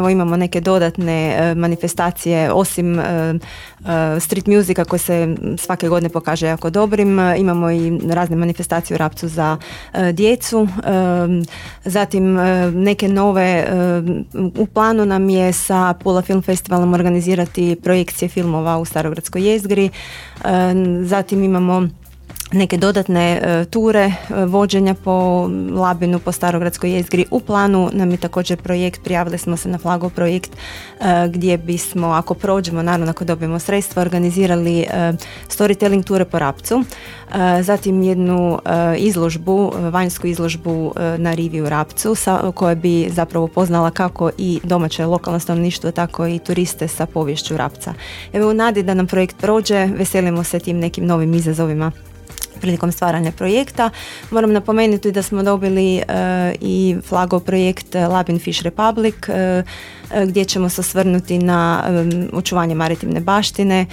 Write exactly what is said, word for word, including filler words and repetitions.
zapravo imamo neke dodatne e, manifestacije osim e, e, street musika koji se svake godine pokaže jako dobrim. E, imamo i razne manifestacije u Rapcu za e, djecu. E, zatim e, neke nove, e, u planu nam je sa Pula Film Festivalom organizirati projekcije filmova u Starogradskoj jezgri. E, zatim imamo neke dodatne e, ture e, vođenja po Labinu, po Starogradskoj jezgri. U planu nam je također projekt, prijavili smo se na Flagov projekt e, gdje bismo, ako prođemo, naravno ako dobijemo sredstva, organizirali e, storytelling ture po Rapcu. E, zatim jednu e, izložbu, vanjsku izložbu e, na rivi u Rapcu sa, koja bi zapravo poznala kako i domaće lokalno stanovništvo, tako i turiste sa poviješću Rapca. Evo, u nadi da nam projekt prođe, veselimo se tim nekim novim izazovima prilikom stvaranja projekta. Moram napomenuti da smo dobili uh, i Flagov projekt Labin Fish Republic uh, gdje ćemo se osvrnuti na um, očuvanje maritimne baštine.